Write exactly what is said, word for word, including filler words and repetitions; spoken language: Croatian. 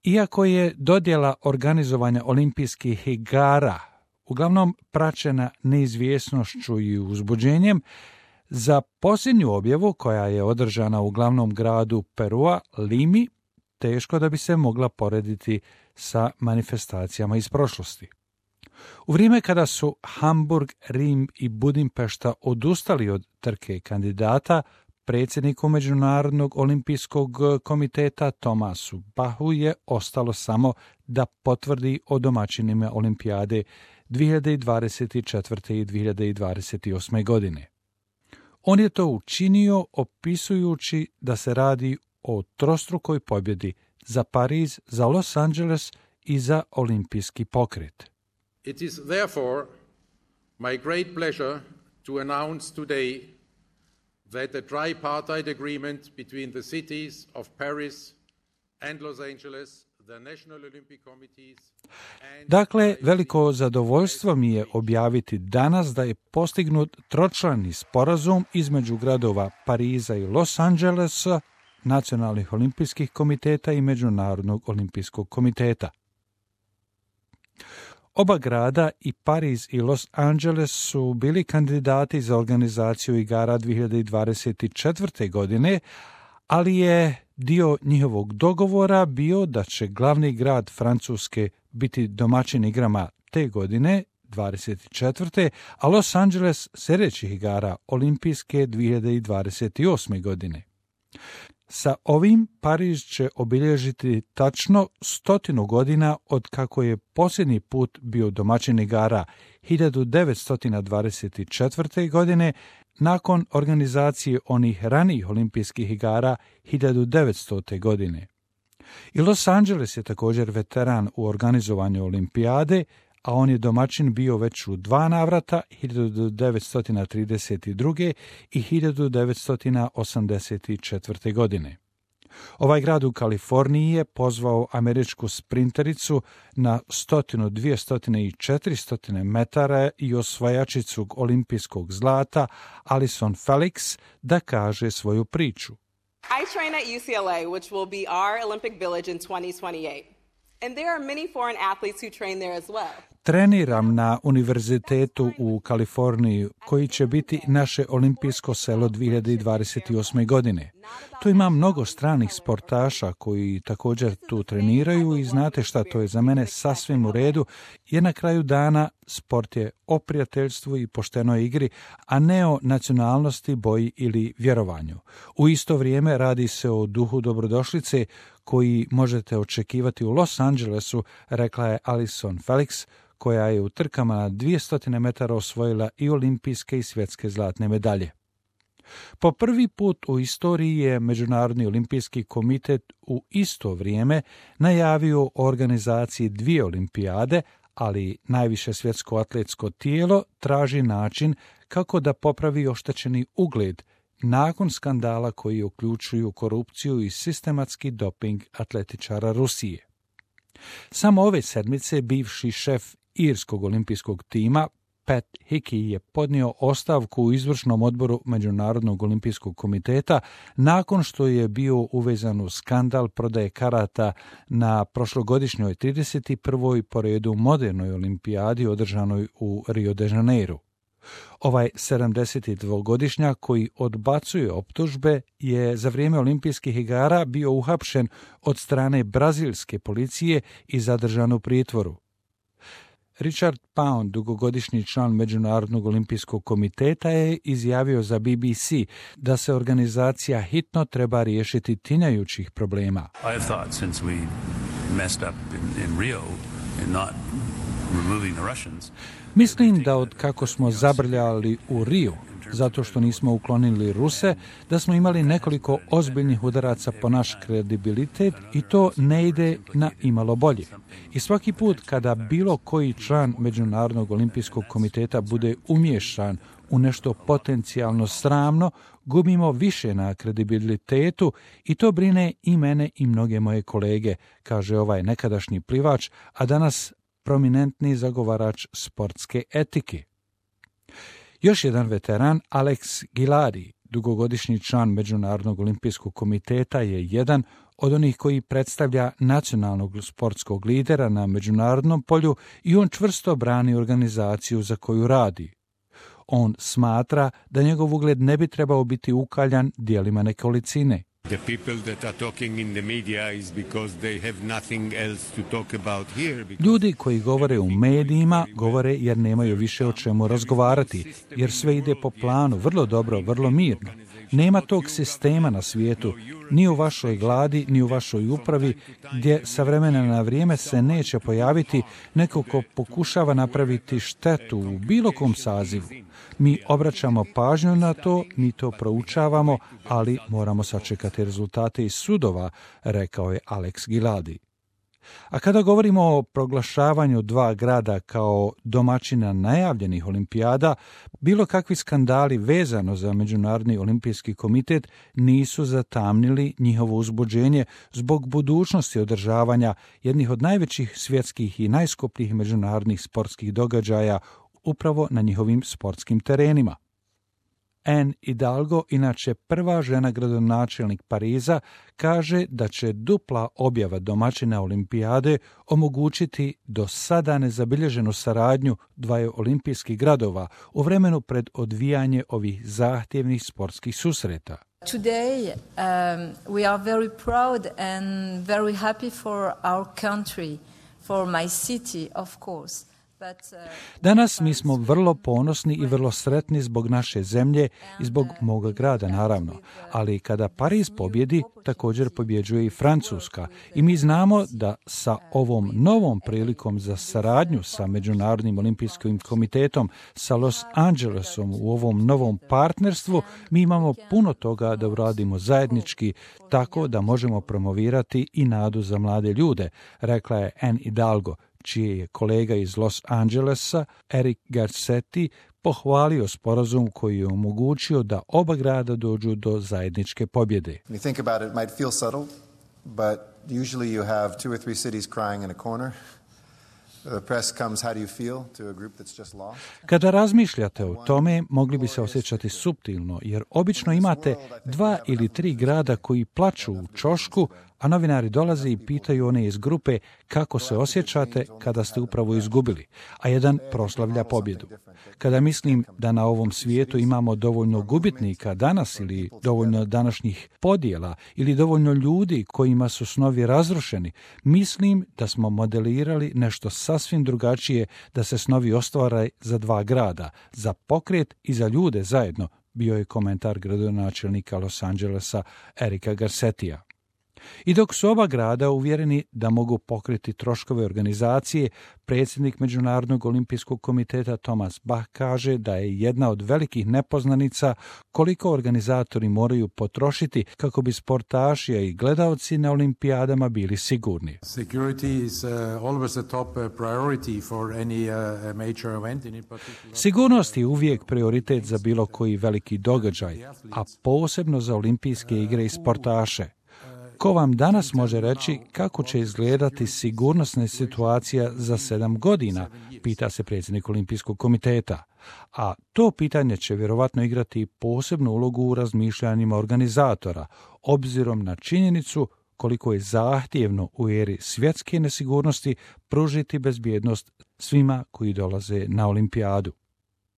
Iako je dodjela organizovanja olimpijskih igara uglavnom praćena neizvjesnošću i uzbuđenjem, za posljednju objavu, koja je održana u glavnom gradu Perua, Limi, teško da bi se mogla porediti sa manifestacijama iz prošlosti. U vrijeme kada su Hamburg, Rim i Budimpešta odustali od trke kandidata, predsjedniku Međunarodnog olimpijskog komiteta Tomasu Bahu je ostalo samo da potvrdi o domaćinima olimpijade dvije hiljade dvadeset četvrte i dvije hiljade dvadeset osme. godine. On je to učinio opisujući da se radi o trostrukoj pobjedi za Pariz, za Los Angeles i za olimpijski pokret. It is therefore my great pleasure to announce today that the tripartite agreement between the cities of Paris and Los Angeles, the National Olympic Committees and... Dakle, veliko zadovoljstvo mi je objaviti danas da je postignut tročlani sporazum između gradova Pariza i Los Angelesa, nacionalnih olimpijskih komiteta i Međunarodnog olimpijskog komiteta. Oba grada, i Pariz i Los Angeles, su bili kandidati za organizaciju igara dvije hiljade dvadeset četvrte. godine, ali je dio njihovog dogovora bio da će glavni grad Francuske biti domaćin igrama te godine, dvadeset četvrte. a Los Angeles sljedećih igara olimpijske dvije hiljade dvadeset osme. godine. Sa ovim Pariz će obilježiti tačno stotinu godina od kako je posljednji put bio domaćin igara hiljadu devetsto dvadeset četvrte. godine, nakon organizacije onih ranijih olimpijskih igara hiljadu devetstote. godine. I Los Angeles je također veteran u organizovanju olimpijade, a on je domaćin bio već u dva navrata, hiljadu devetsto trideset druge. i hiljadu devetsto osamdeset četvrte. godine. Ovaj grad u Kaliforniji je pozvao američku sprintericu na sto, dvjesto i četiristo metara i osvajačicu olimpijskog zlata Allyson Felix da kaže svoju priču. I train at U C L A, which will be our Olympic Village in twenty twenty-eight. And there are many foreign athletes who train there as well. Treniram na univerzitetu u Kaliforniji, koji će biti naše olimpijsko selo dvije hiljade dvadeset osme. godine. Tu ima mnogo stranih sportaša koji također tu treniraju i znate šta, to je za mene sasvim u redu, jer na kraju dana sport je o prijateljstvu i poštenoj igri, a ne o nacionalnosti, boji ili vjerovanju. U isto vrijeme radi se o duhu dobrodošlice koji možete očekivati u Los Angelesu, rekla je Allyson Felix, koja je u trkama na dvjesto metara osvojila i olimpijske i svjetske zlatne medalje. Po prvi put u istoriji je Međunarodni olimpijski komitet u isto vrijeme najavio o organizaciji dvije olimpijade, ali najviše svjetsko atletsko tijelo traži način kako da popravi oštećeni ugled nakon skandala koji uključuju korupciju i sistematski doping atletičara Rusije. Samo ove sedmice bivši šef irskog olimpijskog tima Pat Hickey je podnio ostavku u izvršnom odboru Međunarodnog olimpijskog komiteta nakon što je bio uvezan u skandal prodaje karata na prošlogodišnjoj trideset prvoj po redu modernoj olimpijadi održanoj u Rio de Janeiro. Ovaj sedamdesetdvogodišnjak koji odbacuje optužbe je za vrijeme olimpijskih igara bio uhapšen od strane brazilske policije i zadržan u pritvoru. Richard Pound, dugogodišnji član Međunarodnog olimpijskog komiteta, je izjavio za B B C da se organizacija hitno treba riješiti tinjajućih problema. I thought since we messed up in, in Rio and not removing the Russians. Mislim da od kako smo zabrljali u Riju, zato što nismo uklonili Ruse, da smo imali nekoliko ozbiljnih udaraca po naš kredibilitet i to ne ide na imalo bolje. I svaki put kada bilo koji član Međunarodnog olimpijskog komiteta bude umiješan u nešto potencijalno sramno, gubimo više na kredibilitetu i to brine i mene i mnoge moje kolege, kaže ovaj nekadašnji plivač, a danas prominentni zagovarač sportske etike. Još jedan veteran, Alex Giladi, dugogodišnji član Međunarodnog olimpijskog komiteta, je jedan od onih koji predstavlja nacionalnog sportskog lidera na međunarodnom polju i on čvrsto brani organizaciju za koju radi. On smatra da njegov ugled ne bi trebao biti ukaljan djelima nekolicine. The people that are talking in the media is because they have nothing else to talk about here. Ljudi koji govore u medijima govore jer nemaju više o čemu razgovarati, jer sve ide po planu, vrlo dobro, vrlo mirno. Nema tog sistema na svijetu, ni u vašoj vladi, ni u vašoj upravi, gdje sa vremena na vrijeme se neće pojaviti neko ko pokušava napraviti štetu u bilo kom sazivu. Mi obraćamo pažnju na to, mi to proučavamo, ali moramo sačekati rezultate iz sudova, rekao je Alex Giladi. A kada govorimo o proglašavanju dva grada kao domaćina najavljenih olimpijada, bilo kakvi skandali vezano za Međunarodni olimpijski komitet nisu zatamnili njihovo uzbuđenje zbog budućnosti održavanja jednih od najvećih svjetskih i najskupljih međunarodnih sportskih događaja upravo na njihovim sportskim terenima. Anne Hidalgo, inače prva žena gradonačelnik Pariza, kaže da će dupla objava domaćina olimpijade omogućiti do sada nezabilježenu saradnju dvaju olimpijskih gradova u vremenu pred odvijanje ovih zahtjevnih sportskih susreta. Today um, we are very proud and very happy for our country, for my city, of course. Danas mi smo vrlo ponosni i vrlo sretni zbog naše zemlje i zbog moga grada, naravno. Ali kada Pariz pobjedi, također pobjeđuje i Francuska. I mi znamo da sa ovom novom prilikom za saradnju sa Međunarodnim olimpijskim komitetom, sa Los Angelesom u ovom novom partnerstvu, mi imamo puno toga da uradimo zajednički, tako da možemo promovirati i nadu za mlade ljude, rekla je Anne Hidalgo, čiji je kolega iz Los Angelesa, Eric Garcetti, pohvalio sporazum koji je omogućio da oba grada dođu do zajedničke pobjede. When you think about it, it might feel subtle, but usually you have two or three cities crying in a corner. The press comes, how do you feel, to a group that's just lost? Kada razmišljate o tome, mogli bi se osjećati suptilno, jer obično imate dva ili tri grada koji plaču u ćošku, a novinari dolaze i pitaju one iz grupe kako se osjećate kada ste upravo izgubili, a jedan proslavlja pobjedu. Kada mislim da na ovom svijetu imamo dovoljno gubitnika danas ili dovoljno današnjih podjela ili dovoljno ljudi kojima su snovi razrušeni, mislim da smo modelirali nešto sasvim drugačije da se snovi ostvare za dva grada, za pokret i za ljude zajedno, bio je komentar gradonačelnika Los Angelesa Erika Garcettija. I dok su oba grada uvjereni da mogu pokriti troškove organizacije, predsjednik Međunarodnog olimpijskog komiteta Thomas Bach kaže da je jedna od velikih nepoznanica koliko organizatori moraju potrošiti kako bi sportaši i gledaoci na olimpijadama bili sigurni. Sigurnost je uvijek prioritet za bilo koji veliki događaj, a posebno za olimpijske igre i sportaše. Ko vam danas može reći kako će izgledati sigurnosna situacija za sedam godina, pita se predsjednik Olimpijskog komiteta. A to pitanje će vjerovatno igrati posebnu ulogu u razmišljanjima organizatora, obzirom na činjenicu koliko je zahtjevno u eri svjetske nesigurnosti pružiti bezbjednost svima koji dolaze na olimpijadu.